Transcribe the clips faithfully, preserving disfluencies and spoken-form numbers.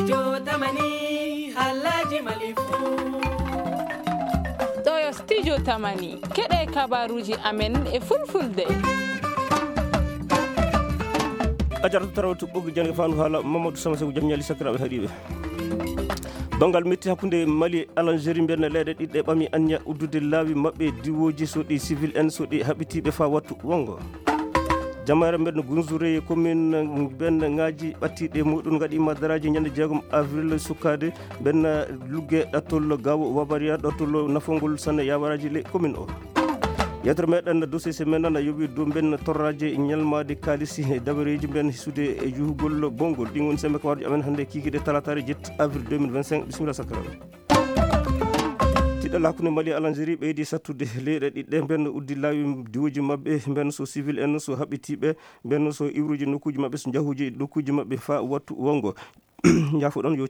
Studio Tamani, halaji Mali fou. Ɗo yo Studio Tamani, keɗe kabaruji amen e fulfulde. A jarata tarawtu ɓoggi jannge fandu haala Mamadou Sama Seku, jam ñali sakiraaɓe haɗiiɓe. Banngal metti hakkunde Mali e Algérie, mbiyen leyɗe ɗiɗi ɗe ɓami anniya uddude laawi maɓɓe diwooji, so ɗi civil en, so ɗi haɓitiiɓe faa wattu wonngo. Jamaare mbeɗa Gunzure e commune mbeɗa ŋaaji ɓattiiɗe muɗum ngaɗi madaraaji ñande jeegom avril sukkaade mbeɗa lugge ɗattol gawo wabariya ɗattol nafongol sanne yawaraaji le commune o. Yettere meɗen dossier semaine na yowi dow mbeɗa torraje ñalmaade kaalisi e dabareeji mbeɗa hisude e juhugol bonngol. Ɗin woni sembe kawarji amen hannde kikiɗe talataare jetti avril deux mille vingt-cinq. Bisimilla sakkaraaɓe. Tiɗɗal hakkunde Mali e Algérie ɓeydi sattude. Leyɗe ɗiɗɗe mbeɗa uddi laawi diwooji maɓɓe, mbeɗa so civil en, so haɓɓitiiɓe, mbeɗa so iwruji nokkuuji maɓɓe, so njahuuji nokkuuji maɓɓe faa wattu wonngo. Njaafo ɗon yo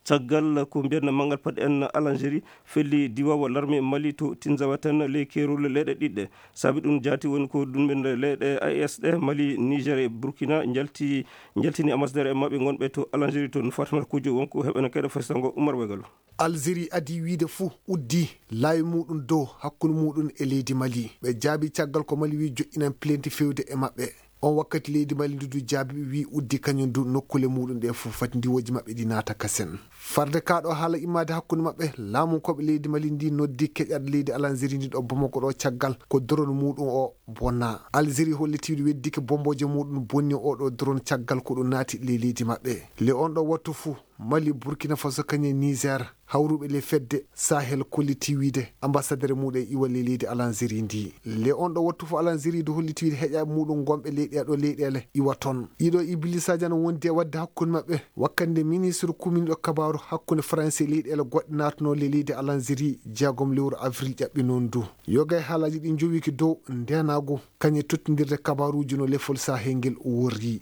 caggal ko mbiyen manngal paɗe en Algérie felli diwoowo larme Mali to Tinzaouat en ley keerol leyɗe ɗiɗɗe. Saabi ɗum jaati woni ko ɗum men leyɗe A E S ɗe Mali, Niger e Burkina njalti, njaltini ambassadeur en maɓɓe ngonɓe to Algérie toon. Fatimata Kujo wonko heɓen keɗe fesango Umar Wegalo. Algérie adii wiyde fuu uddi laawi muɗum dow hakkunde muɗum e leydi Mali. Ɓe jaabi caggal ko Mali wi joƴƴinan plainte fewde e maɓɓe. On wakkati leydi Mali ndu du jaabi wi uddi kañum du nokkule muɗum ɗe fuu fati ndiwooji maɓɓe ɗi naata kasen. Farde kaa ɗo haala immaade hakkunde maɓɓe, laamunkooɓe leydi Mali ndi noddi keƴat leydi Algérie ndi ɗo Bamako ɗo caggal ko drone muɗum o bonna. Algérie holliti weddike bombooje muɗum bonni o ɗo drone caggal ko ɗum naati ley leydi maɓɓe. Le on ɗo wattu fuu, Mali, Burkina Faso, kañum e Niger, hawruɓe ley fedde Sahel kolliti wiide ambassadeur muɗum e iwa ley leydi Algérie ndi. Le on ɗo wattu fo Algérie du holliti wiide heƴaɓe muɗum gonɓe leyɗe ɗo leyɗele iwa toon. Ɗiɗo ibilisa jana wondi e wadde hakkunde maɓɓe. Wakkande ministre kuminiɗo kabaru hakkunde France e leyɗele goɗɗe naatano ley leydi Algérie jeegom lewru avril ƴaɓɓi noon du. Yoga e haalaji ɗi jowiki dow ndenagu kañum e tottindirde kabaruji no lefol Sahel ngel worri.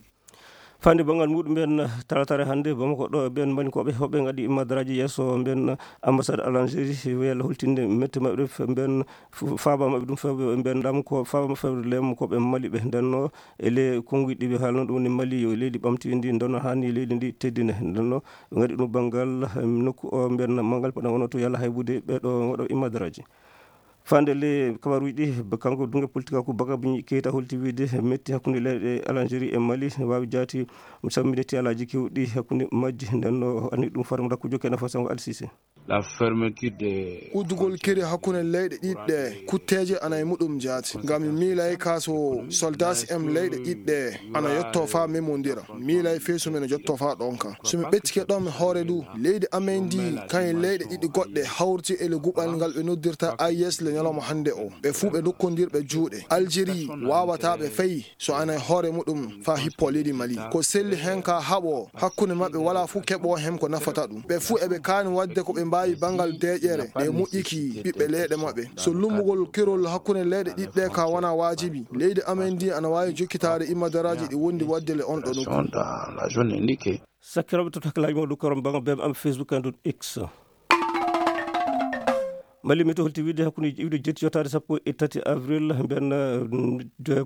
Fande banngal muɗum ɓen talatare hannde Bamako ɗo ɓen mbaɗi ko ɓe hoɓe ngaɗi madaraaji yeeso ɓen ambassade Algérie wiyal holtinde mette maɓɓe ɓen faaba maɓɓe ɗum fewɓe ɓen laamu ko faaba maɓɓe fewde lemu ko ɓe Mali ɓe ndenno e le konnguɗi ɓe haalno ɗum woni Mali yo leydi ɓamti ndi ndenno hani leydi ndi teddine ndenno ɓe ngaɗi ɗum banngal nokku o ɓen manngal paɗa wono to yalla haybude ɓe ɗo waɗo imadaraaji. Fande le kabaruji ɗi kanko dunge politique ko Baka Bini Keita holti wiide metti hakkunde leyɗe Algérie e Mali wawi jaati samminde tiyalaji kewɗi hakkunde majji ndenno ani ɗum faram rakkujo kena fasango alsise. La fermeture de uddugol keri hakkunde leyɗe ɗiɗɗe kutteje ana e muɗum jaati ngam mi miilay ka so soldats em leyɗe ɗiɗɗe ana yetto fa memondira miilay feesu men jotto fa ɗonka so mi ɓeccike ɗon mi hoore du leydi amen ndi kayen leyɗe ɗiɗi goɗɗe hawrti e le guɓal ngal ɓe noddirta ayes le ñalawma hannde o ɓe fuu ɓe dokkondirɓe juuɗe aljeri wawata ɓe fay so ana e hoore muɗum fa hippo leydi mali ko selli hen ka haɓo hakkunde maɓɓe wala fuu keɓo hen ko nafata ɗum ɓe fuu eɓe kaani wadde ko ɓe mbaawi banngal deeƴere ɗe moƴƴiki ɓiɓɓe leyɗe maɓɓe so lummugol kerol hakkunde leyɗe ɗiɗɗe ka wona waajibi leydi amen ndi ana waawi jokkitaade imadaraaji ɗi wondi waɗde le on ɗo nokku. Sakkirooɓe to takkilaaji mawɗo korom baŋa bem am Facebook and X. Mali mi to holti wiide hakkunde iwde jetti yottaade sappo e tati avril mbiyan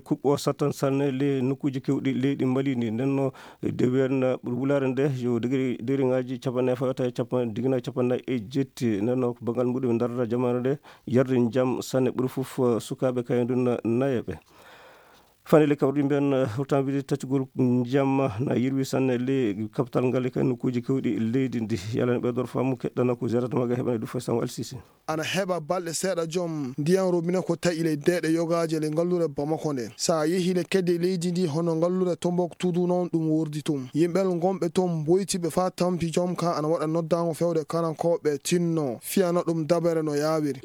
kuɓɓo sattan sanne le nokkuuji kewɗi leydi Mali ndi ndenno dewiyan wulaare nde yo degri deriŋaaji capanɗe nayi fawata e capanɗe digina capanɗe nayi e jetti ndenno ko banngal muɗum darata jamaare nde yarde jam sanne ɓuri fof sukaaɓe kayen ɗum nayeɓe. Fane le kawri mbiyan hurtan wiide taccugol jam na yirwi sanne le kapital ngal e kay nokkuuji kewɗi leydi ndi yalani ɓe dor famu keɗɗana ko zerata maga heɓane du fo sango alsisi. Ana heɓa balɗe seeɗa joom ndiyan robine ko taƴi ley deeɗe yogaaje le ngallure bamako nde so a yehi le kedde leydi ndi hono ngallure tombok tudu noon ɗum wordi tum yimɓel gonɓe toon mboytiɓe faa tampi joom ka ana waɗa noddaango fewde karankooɓe tinno fiyana ɗum dabere no yaawiri.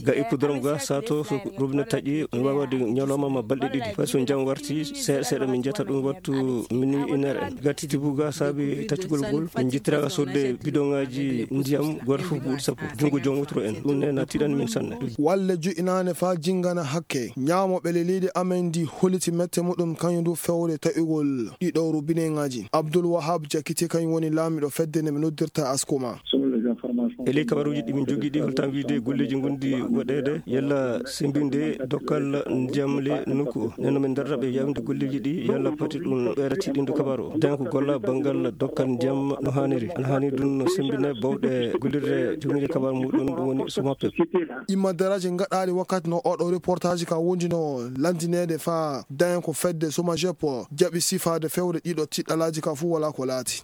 Ga hippodrome ga sato so robine taƴi no waawade ñalawma ma balɗe ɗiɗi fay so jam warti seeɗa seeɗa min jetta ɗum wattu minuit une heure en gatti tibu ga saabi taccugol ngol min jittiraga sodde bidon ngaji ndiyam goto fof buuɗi sappo junngo joom wotoro en ɗum ne na tiɗan min sanne. Walle jo'inaane faa jinngana hakke ñaamoɓe le leydi amen ndi holiti mette muɗum kañum du fewde taƴugol ɗiɗo robineŋaaji abdul wahab jakite kañum woni laamiɗo fedde nde ɓe noddirta askuma. E ley kabaruuji ɗi min jogii ɗi, holtan wiide golleeji ngonɗi waɗeede, yalla semmbinde dokkal ndiyam ley nokku o? Nden no min darata ɓe yaawinde golleeji ɗi, yalla pati ɗum ɓeyra tiiɗinde kabaaru o. Nden ko golla banngal dokkal ndiyam no haaniri. Ana haani ɗum no semmbine bawɗe gollirde joginde kabaaru muɗum, ɗum woni Somapep. Imma daraaji ngaɗaaɗi wakkati no oɗo reportaaji ka wondi no lanndineede fa dañen ko fedde Somajep jaɓi sifaade fewre ɗiɗo tiɗɗalaaji ka fuu walaa ko laati.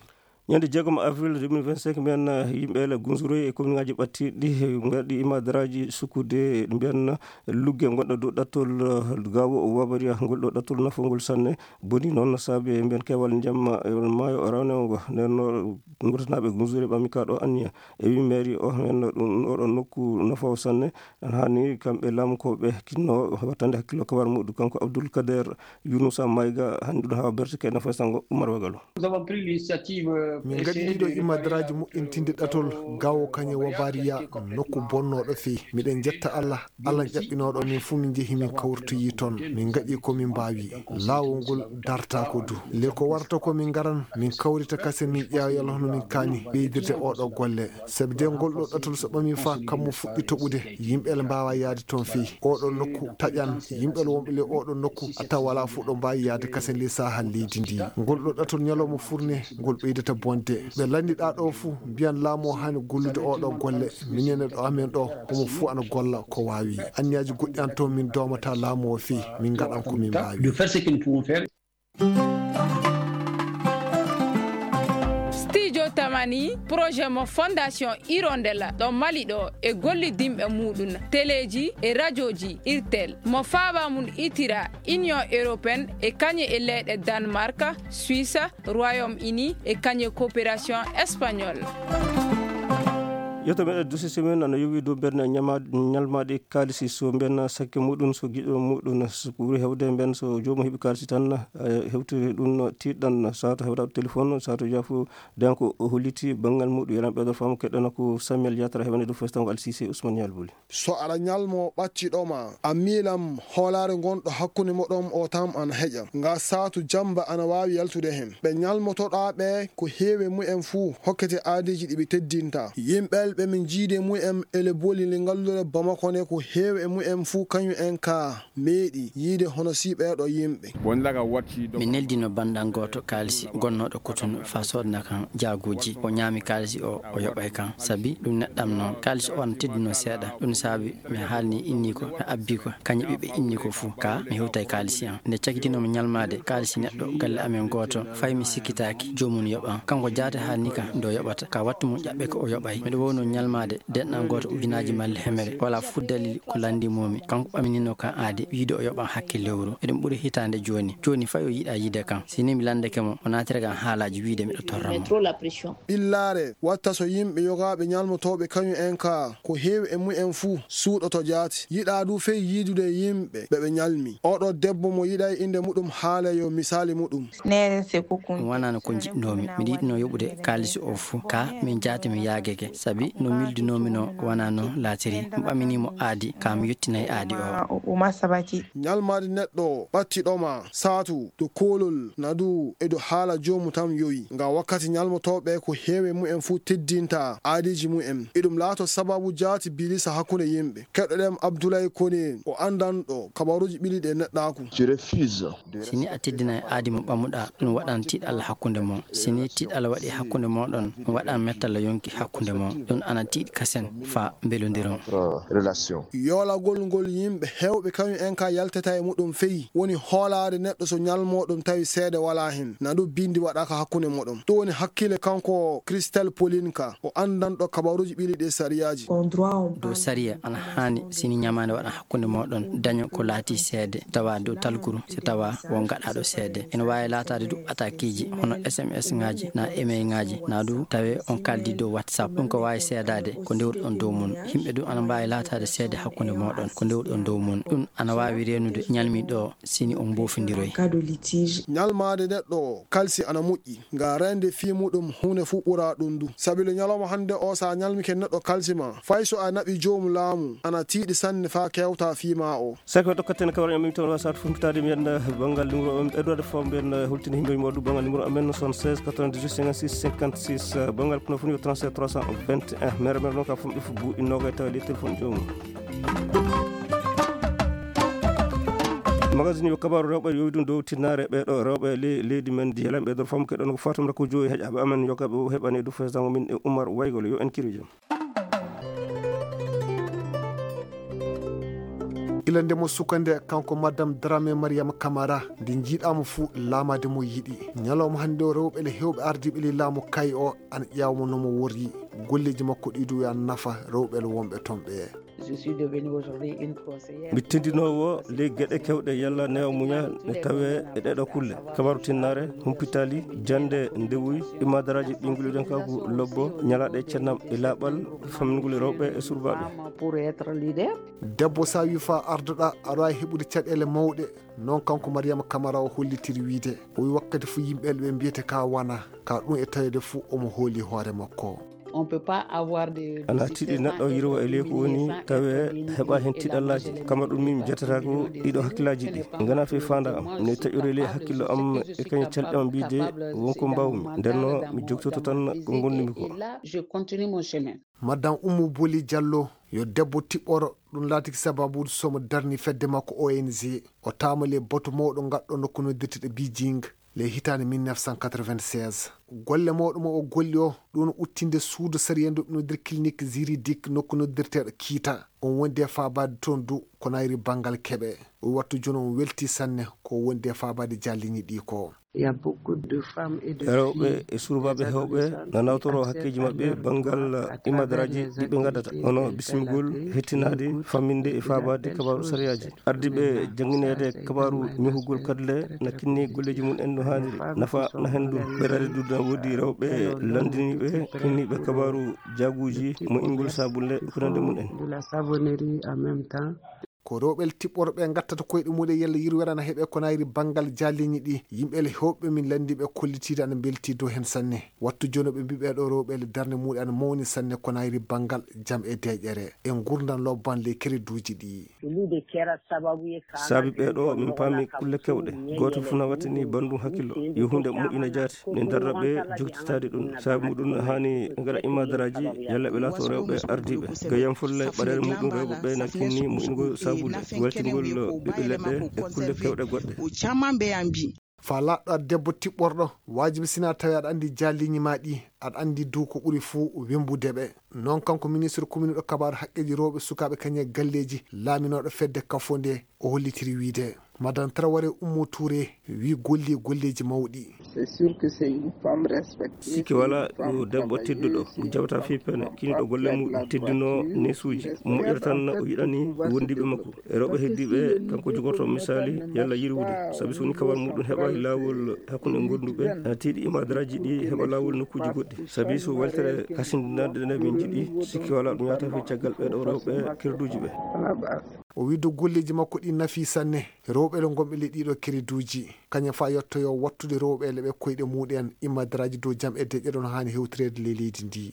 Ñande jeegom avril deux mille vingt-cinq, mbiyan, eh, yimɓe ele Gunzuroy e kominŋaaji ɓattiiɗi, eh, ngaɗi imma daraaji sukkude, mbiyan, lugge ngonɗo dow ɗattol, eh, Gawo Wabariya, ngol ɗo ɗattol nafongol sanne, boni noon saabe mbiyan keewal njamma e maayo Rawnewgo. Nden no ngurtanaaɓe Gunzuroy ɓami ka ɗo anniya. E wi mairie o, mbiyan ɗum oɗo nokku nafoowo sanne, ana haani kamɓe laamukooɓe kinno wattande hakkillo kabar muɗum. Kanko Abdoul Kader Yunusa Mayga, hannde ɗum hawa berteke ena fayi sango Umar Wagalo. Nous avons pris l'initiative, euh, Min ngaɗi ɗiɗo immadaraaji moƴƴintinde ɗatol Gawo Kañe Wabariya, nokku bonnooɗo feyi. Miɗen njetta Allah, Allah ƴaɓɓinooɗo min fuu min njehi min kawritoyi toon. Min ngaɗi ko min mbaawi. Laawol ngol dartaako du. Le ko warata ko min ngaran, min kawrita kasen min ƴeewa yalla hono min kaani ɓeydirde oɗo golle. Sabi de ngol ɗo ɗatol so ɓamii fa kammu fuɗɗi toɓude, yimɓe ele mbaawa yahde toon feyi. Oɗo nokku taƴan, yimɓe ele wonɓe ley oɗo nokku a tawa walaa fof ɗo mbaawi yahde kasen ley saahal leydi ndi. Ngol ɗo ɗatol ñalawma furne, ngol ɓeydata bonde. Ɓe lanndiɗaa ɗo fuu, mbiyan laamu o haani gollude oɗo golle. Minen e ɗo amen ɗo, homo fuu ana golla ko waawi. Anniyaaji goɗɗi an toon min doomata laamu o feyi, min ngaɗan ko min mbaawi. De faire ce que nous pouvons faire. Studio Tamani, projet mo Fondation Hirondelle ɗo Mali ɗo e gollidinɓe muɗum, teleeji e rajooji Irtel, mo faaba mum itira Union Européenne e kañe e leyɗe Danemark, Suisse, Royaume-Uni e kañe coopération espagnole. Yeto meɗen dusisi men ana yowi dow mberne ñama-, ñalmaɗi kaalisi, so mben sakke muɗum, so giɗo muɗum, so ɓuri hewde mben, so joomum heɓi kaalisi tan, eh, hewtiri ɗum tiiɗan, sato hewtaɗo téléphone, sato jafo, donc o holliti banngal muɗum. Yelan ɓeydo faamu keɗɗana ko Samuel Yatara heɓani ɗum festango Alsise Ousmane Yalbuli. So aɗa ñalmo ɓattiɗo ma, a miilam hoolaare ngonɗo hakkunde moɗon o tam ana heƴa. Nga saatu jamba ana waawi yaltude hen. Ɓe ñalmotoɗaa ɓe ko heewi mu'en fuu hokkete aadiiji ɗi ɓe teddinta. Yimɓe ɓe min jiidi mu'en ele boli le ngallure Bamako ne ko heewi mu'en fuu kañum en ka meeɗi yiide hono si ɓeeɗo yimɓe. Min neldino banndam gooto kaalisi gonnooɗo Kotonu faa soodna kan jaaguuji. O ñaami kaalisi o, o yoɓay kan. Sabi ɗum neɗɗam noon. Kaalisi o ana teddunoo seeɗa. Ɗum saabi mi haalni inni ko, mi abbi ko, kañum ɓiɓɓe inni ko fuu. Ka mi hewtay kaalisi an. Nde cakitinomi ñalmaade kaalisi neɗɗo galle amen gooto, fay mi sikkitaaki joomum yoɓan. Kanko jaate haalni kan nde o yoɓata. Ka wattu mum ƴaɓɓe ko o yoɓay. Miɗo wowno ñalmaade denɗan gooto ujunaaji malli hemere. Walaa fuu dalil ko lanndimoomi. Kanko ɓaminino kan aadi, wiide o yoɓan hakke lewru. Eɗum ɓuri hitaande jooni. Jooni fay o yiɗaa yiide kan. Si ni mi lanndake mo, o naatira kan haalaaji wiide miɗo torra mo. Ɓillaare watta so yimɓe yogaaɓe ñalmotooɓe kañum en ka ko heewi e mumen fuu suuɗoto jaati. Yiɗaa du fey yiidude yimɓe ɓe ɓe ñalmi. Oɗo debbo mo yiɗay innde muɗum haala yo misaali muɗum. Ɗum wanaano ko njiɗnoomi. Miɗo yiɗnoo yoɓude kaalisi o fuu. Ka min jaati mi yaagake. Sabi no miildinoomi no wanaa no laatiri. Mi ɓamini mo aadi, ka mi yottinay aadi o. Ñalmaade neɗɗo ɓattiɗo ma, saatu, to koolol, na du e do haala joomu tan yowi. Nga wakkati ñalmotooɓe ko heewi mumen fuu teddinta aadiiji mumen. Eɗum laato sababu jaati bilisa hakkunde yimɓe. Keɗoɗen Abdoulaye Kone, o anndanɗo kabaruuji ɓili ɗe neɗɗaaku. Si ni a teddinay aadi mo ɓamuɗaa, ɗum waɗan tiiɗalla hakkunde mon. Si ni tiiɗalla waɗi hakkunde mooɗon, ɗum waɗan mettalla yonki hakkunde mon. Ɗum ana tiiɗi kasen faa mbelondiron. Yoolagol ngol yimɓe heewɓe kañum en ka yaltata e muɗum feyi, woni hoolaade neɗɗo so ñalmoɗum tawi seede walaa hen, na ɗum bindi waɗaaka hakkunde muɗum. Ɗum woni hakkile kanko Christel Polinka, o anndanɗo kabaruuji ɓili ɗi sariyaaji. Dow sariya ana haani si ni ñamaande waɗan hakkunde mooɗon, daño ko laati seede, tawa dow talkuru, si tawa won gaɗaaɗo seede. Ene waawi laataade du atakiiji, hono S M S ŋaaji, na email ŋaaji, na du tawe on kaldi dow WhatsApp. Ɗum ko waawi seedaade ko ndewruɗon dow mum. Yimɓe du ana mbaawi laataade seede hakkunde mooɗon ko ndewruɗon dow mum. Ɗum ana waawi reenude ñalmiiɗo o si ni on mboofindiroy. Ñalmaade neɗɗo o kalsi ana moƴƴi. Nga reende fii muɗum huunde fuu ɓuraa ɗum du. Sabi le ñalawma hannde o, so a ñalmike neɗɗo kalsi ma, fay so a naɓi joomu laamu, ana tiiɗi sanne faa kewtaa fii maa o. Saka tokkaten kawra en min toon wasat fumtaade mi yanda banngal numéro o, Edouard Faw mbiyen, eh, holtini himɓe mo du banngal numéro amen soixante-seize quatre-vingt-dix-huit cinquante-six cinquante-six, eh, banngal kono fuu yo trente-sept trois cent vingt. Eh, mere mere noon ka fomɗi fu buuɗi noga e tawa ley téléphone joomum. Magazine yo kabaaru rewɓe yowi ɗum dow tinnaare ɓee ɗo rewɓe le-, leydi men ndi helan ɓe ɗo famu keɗon ko Fatum Rakko Joyi heƴaɓe amen yoga ɓe heɓani du fes dango min e Umar Waygol yo en kiri jam. Ila nde mo sukande kanko madame Dramé Mariama Camara nde jiiɗaama fuu laamaade mo yiɗi. Ñalawma hannde o rewɓe le heewɓe ardiiɓe le laamu kay o ana ƴeewa mo no mo worri. Golleeji makko ɗi du ana nafa rewɓe le wonɓe toon ɓe. Mi tindinoowo ley geɗe kewɗe yalla newa muña ne tawe e ɗeɗo kulle. Kabaru tinnare, humpitali, jande, ndewuy, imadaraaji ɓiyngol e jonkagu lobbo, ñalaaɗe cennam e laaɓal, famingol e rewɓe e surbaaɓe. Debbo sa wi fa ardoɗa aɗa wawi heɓude caɗele mawɗe. Noon kanko Mariama Kamara o hollitiri wiide o wi wakkati fu yimɓe ɓe mbiyete ka wana ka ɗum e tawede fu omo hooli hoore makko. Ana tiiɗi neɗɗo yirwa e leyku woni tawe heɓa hen tiɗallaaji. Kama ɗum min jatata ko ɗiɗo hakkillaaji ɗi ngana fe fanda am ne taƴori ley hakkillo am e kañum calɗe am mbiyde wonko mbawmi ndenno mi jogtoto tan ko ngondumi ko. Madame Oumou Bouli Diallo yo debbo tiɓɓoro. Ɗum laatiki sababude somo darni fedde makko O N G. O taamali e batu mawɗo ngatɗo nokku noddirteɗo Beijing ley hitaande mille neuf cent quatre-vingt-seize. Golle mawɗo mo o golli o ɗum uttinde suudu sariya ndu noddir clinique juridique nokku noddirteɗo kiita. On wondi e faabaade toon du ko nayri banngal keɓe. O wattu jooni on welti sanne ko wondi e faabaade jaalliñi ɗi ko. Rewɓe e surbaaɓe heewɓe na nawtoro hakkeeji maɓɓe banngal imadaraaji ɗi ɓe ngaddata, hono bismigol, hettinaade, famminde e faabaade kabaaru sariyaaji. Ardiiɓe janngineede kabaaru ñohugol kadle na kinni golleeji mum en no haaniri. Nafa na heen ɗum. Ɓeydade ɗum na woodi rewɓe lanndiniiɓe, kinniiɓe kabaaru jaaguuji, moƴƴingol saabunnde, e ko nanndi mum en. Ko rewɓe tiɓɓorɓe ngattata koyɗe muɗum yalla yirwere na heɓe ko nayri banngal jaalliñi ɗi. Yimɓe le heewɓe min lanndiiɓe kollitiiɗe ana mbelti dow heen sanne. Wattu jooni ɓe mbiɓe ɗo rewɓe le darnde muɗum ana mawni sanne ko nayri banngal jam e deeƴere e ngurndan lobban le kereduuji ɗi. Saabi ɓee ɗo min paami kulle kewɗe. Gooto fof na wattini banndum hakkillo. Yo huunde moƴƴina jaati. Min darra ɓe joktitaade ɗum. Saabi muɗum haani ngara imadaraaji yalla ɓe laato rewɓe ardiiɓe. Gayam fulle ɓaɗeele muɗum rewɓe ɓe na kinni moƴƴingol saabulle, weltingol ɓiɓɓe leɗɗe e kulle kewɗe goɗɗe. Fa laaɗɗo aɗa debbo tiɓɓorɗo, waajibi sina tawi aɗa anndi jaalliñi ma ɗi, aɗa anndi du ko ɓuri fuu wembude ɓe. Noon kanko ministre commune ɗo kabaaru haqqeeji rewɓe sukaaɓe kañum e galleeji laaminooɗo fedde kafo nde o hollitiri wiide. Madame Traoré Oumou Touré wi golli golleeji mawɗi. Sikke wala ɗo debbo tedduɗo mo jawta fii pene kiniɗo golle muɗum teddino nesuuji moƴƴere tan o yiɗani wondiiɓe makko. E rewɓe heddiiɓe kanko jogorto misali yalla yirwude sabi so woni kawal muɗum heɓa e laawol hakkunde gonduɓe ana tiiɗi imadaraaji ɗi heɓa laawol nokkuuji goɗɗi sabi so weltere hasindinaade nde min jiɗi sikki wala ɗum yahata fii caggal ɓeeɗo rewɓe kerduuji ɓe. O wi dow golleeji makko ɗi nafi sanne rewɓe le gonɓe ley ɗiɗo kerduuji kañum fa yettoyo wattude rewɓe le ɓe koyɗe muɗum en imadaraaji dow jam e deƴƴe ɗon haani hewtireede ley leydi ndi.